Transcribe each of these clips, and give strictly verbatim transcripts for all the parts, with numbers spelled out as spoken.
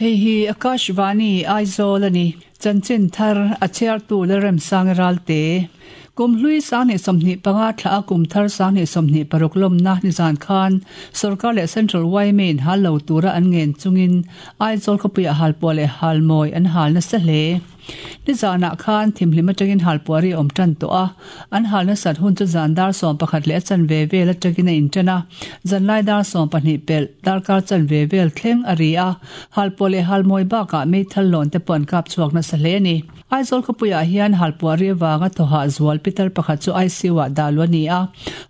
Hei hi Akashvani Aizawl ani. Chanchin thar a chhiartu Lalremsang Ralte. Kum hlui sanghnih sawmhnih panga thla a kum thar sanghnih sawmhnih paruk lawmna nizan khan Sorkar leh Central Y M A in hal lo tura an ngen chungin Aizawl khawpuiah halpuah leh halmawi an hal nasa hle. Nizanah khan thimhlim atangin halpuah ri a awm tan tawh a, an hal nasat hun chu zan dar sawm pakhat leh a chanve vel atangin a intan a, zanlai dar sawm pahnih pelh darkar chanve vel thleng a ri a, halpuah leh halmawi bakah meithal lawn te pawh an kap chhuak nasa hle a ni. Aizawl khawpuiah hian halpuah ri avanga thawhah zual pitar pakhat chu I C U ah dah luh a ni a,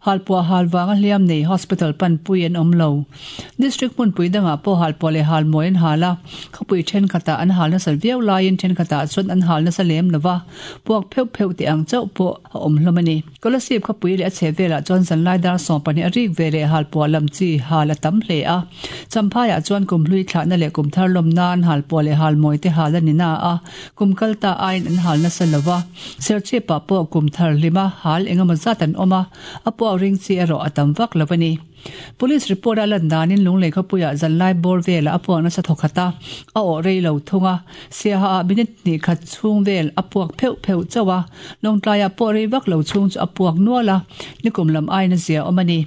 halpuah hal vanga hliam nei hospital panpui an awm lo. District hmunpui dangah pawh halpuah leh halmawi an hal a, khawpui thenkhatah an hal nasat viau laiin thenkhatah chuan an hal nasa lem lova, puak pheuh pheuh tih ang chauh pawh a awm hlawm a ni. Kolasib khawpui leh a chhehvelah chuan zanlai dar sawm pahnih a rik ve leh halpuah lam chi hal a tam hle a. Champhaiah chuan kumhlui thlahna leh kumthar lawm nan halpuah leh halmawi te hal a ni na a, kum kal ta aiin an hal nasa lova. Serchhipah pawh kumthar hlima hal engemaw zat an awm a, a puak ring chi erawh a tam vak lo a ni. Police report a lan danin Lunglei khawpuiah zanlai bawr velah a puak nasa thawkhat a, a awh rei lo thung a, Siaha ah minute hnih khat chhung vel a puak pheuh pheuh chauh a, Lawngtlaiah pawh rei vak lo chhung chu a puak nual a, nikum lam aiin a zia awm a ni.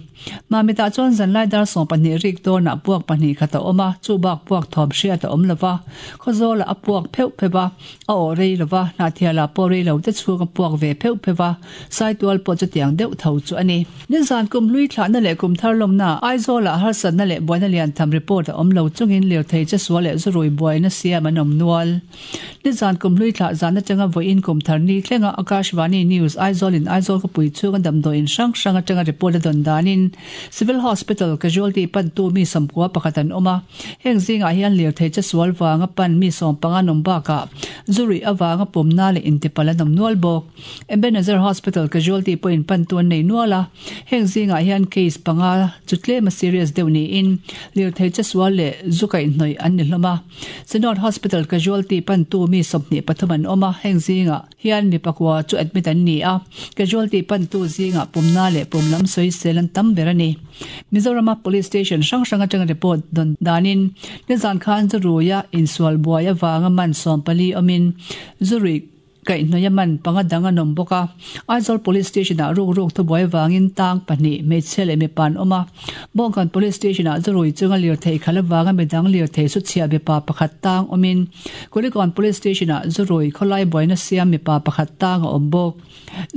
Mamitah chuan zanlai dar sawm pahnih rik dawnah puak pahnih khat a awm a, chu bak puak thawm hriat a awm lova. Khawzawlah a puak pheuh pheuh a, a awh rei lova, Hnahthialah pawh rei lo te chhung a puak ve pheuh pheuh a, Saitual pawh chutiang deuh tho chu a ni. Nizan kum hlui thlahna leh kum thar lawmna Aizawlah harsatna leh buaina lian tham report a awm lo chungin lirthei chesual leh zurui buaina siam an awm nual. Nizan kum hlui thlah zan atanga vawiin kum thar ni thlenga Akashvani News Aizawl in Aizawl khawpui chhunga damdawi in hrang hrang atanga report a dawn danin Civil Hospital casualty pantu mi sawmkua pakhat an awm a, heng zingah hian lirthei chesual vanga pan mi sawm panga an awm bakah zurui avanga pumna leh intipal an awm nual bawk. Ebenezer Hospital casualty pawhin pantu an nei nual a, heng zingah hian case panga chu tlema serious deuh niin lirthei chesual leh zu kaihhnawih an ni hlawm a. Synod Hospital casualty pantu mi sawmhnih pathum an awm a, heng zingah hian mi pakua chu admit an ni a, casualty pantu zingah pumna leh pum lam sawisel an tam ber a ni. Mizorama police station hrang hrang atanga report dawn danin nizan khan zuruia insual buai avanga man sawm pali awmin zurui kaihhnawih a man panga dang an awm bawk a. Aizawl police station ah ruk ruk thubuai vangin tang pahnih hmeichhia leh mipa an awm a. Bawngkawn police station ah zurui chunga lirthei khalh avanga midang lirthei chu chhiah mipa pakhat tang awmin Kulikawn police station ah zurui khawlai buaina siam mipa pakhat tang a awm bawk.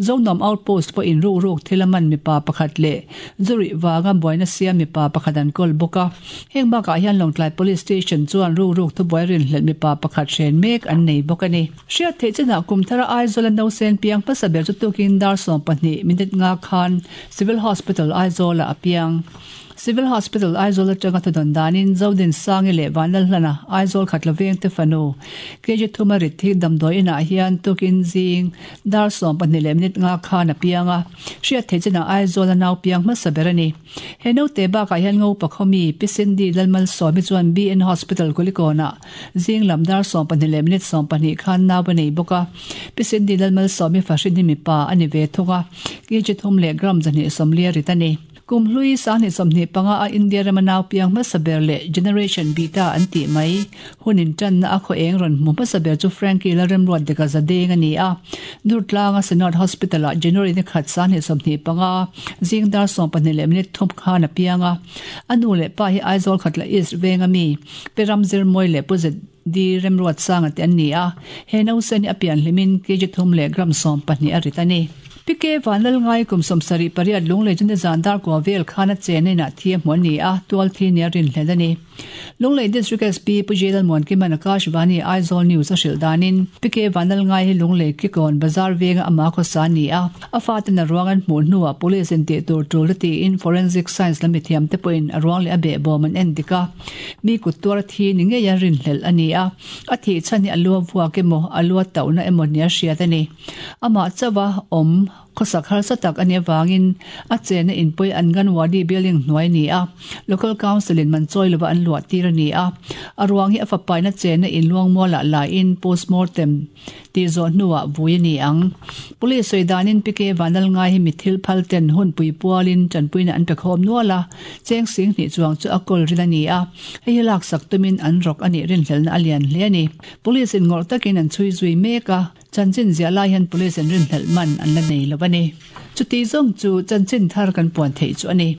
Zonuam outpost pawhin ruk ruk thil a man mipa pakhat leh zurui vanga buaina siam mipa pakhat an kawl bawk a. Heng bakah hian Lawngtlai police station chuan ruk ruk thubuai rinhlelh mipa pakhat hren mek an nei bawk a ni. Hriat theih chinah kum thara Aizawl a nausen piang hmasa ber chu tukin dar sawm pahnih minute nga khan Civil Hospital Aizawl ah a piang. Civil Hospital Aizawl atanga thudawn danin Zodin Sangi leh Vanlalhlana Aizawl Khatla vengte fanu K G thuma rit hi damdawi inah hian tukin zing dar sawm pahnih leh minute nga khan a piang a, hriat theih chinah Aizawl a nau piang hmasa ber a ni. He naute bakah hian Ngopa khawmi Pi Cindy Lalmalsawmi chuan B N Hospital Kulikawnah zing lam dar sawm pahnih leh minute sawm pahnih khan nau a nei bawk a. Pi Cindy Lalmalsawmi fahrin hi mipa a ni ve thung a, K G thum leh gram zahnih sawmli a rit a ni. Kum hlui sanghnih sawmhnih panga a India rama nau piang hmasa ber leh Generation Beta an tih mai hun intanna a khaw eng rawn hmu hmasa ber chu Frankie Lalremruat deka Zadeng a ni a. Durtlanga Synod Hospital ah January ni khat sanghnih sawmhnih panga zing dar sawm pahnih leh minute thum khan a piang a. A nu leh pa hi Aizawl Khatla East venga mi Pi Ramzirmawi leh Pu Z D Remruatsanga te an ni a. He nausen hi a pian hlimin K G thum leh gram sawm pahnih a rit a ni. P K Vanlalngai kum sawmsarih pariat Lunglei chu nizan dar kua vel khan a chen inah thi a hmu a ni a, tual thi nia rinhlelh a ni. Lunglei District S P Pu J Lalmuankiman Akashvani Aizawl News a hrilh danin P K Vanlalngai hi Lunglei Kikawn Bazar venga ama khawsa a ni a, a faten a ruang an hmuh hnuah police in tih tur tul a tiin forensic science lam mithiam te pawhin a ruang leh a behbawm an en dik a, mi kut tuar a thi ni ngei a rinhlelh a ni a, a thih chhan hi a lu a vuak emaw a lu a tauhna emaw nia hriat a ni. Amah chauha awm Khawsak harsa tak a nih avangin a chenna inpui Anganwadi building hnuai a ni a, Local Council in man chawi lova an luah tir a ni a. A ruang hi a fapaina chenna in Luangmualah laiin postmortem tih zawh hnuah vui a ni ang. Police sawi danin P K Vanlalngai hi mi thil phal ten hunpui pualin tanpuina an pe khawm nual a, cheng sing hnih chuang chu a kawl rin a ni a, hei hi laksak tumin an rawk a nih rinhlelhna a lian hle a ni. Police in ngawrh takin an chhui zui mek a. Chanchin ziah lai hian police an rinhlelh man an la nei lo a ni. Chuti zawng chu chanchin thar kan puan theih chu a ni.